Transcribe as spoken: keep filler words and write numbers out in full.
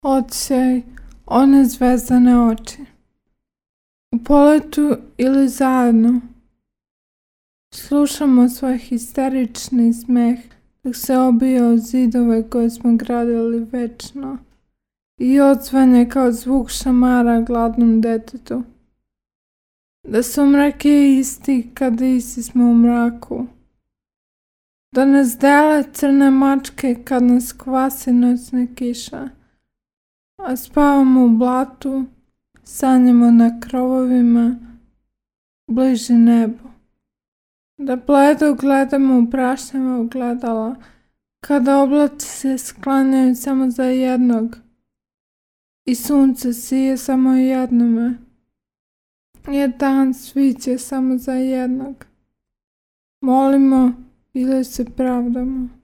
Odsjaj one zvezdane oči. U poletu ili zajedno slušamo svoj histerični smeh dok se obija o zidove koje smo gradili večno i odzvanje kao zvuk šamara gladnom detetu. Da su mrak je isti kada isti smo u mraku. Da nas dele crne mačke kad nas kvasi noćna kiša, a spavamo u blatu, sanjamo na krovovima, bliži nebu. Da bledo gledamo u prašnjava ogledala, kada oblaci se sklanjaju samo za jednog i sunce sije samo jednome, jer dan sviće samo za jednog. Molimo ili se pravdamo.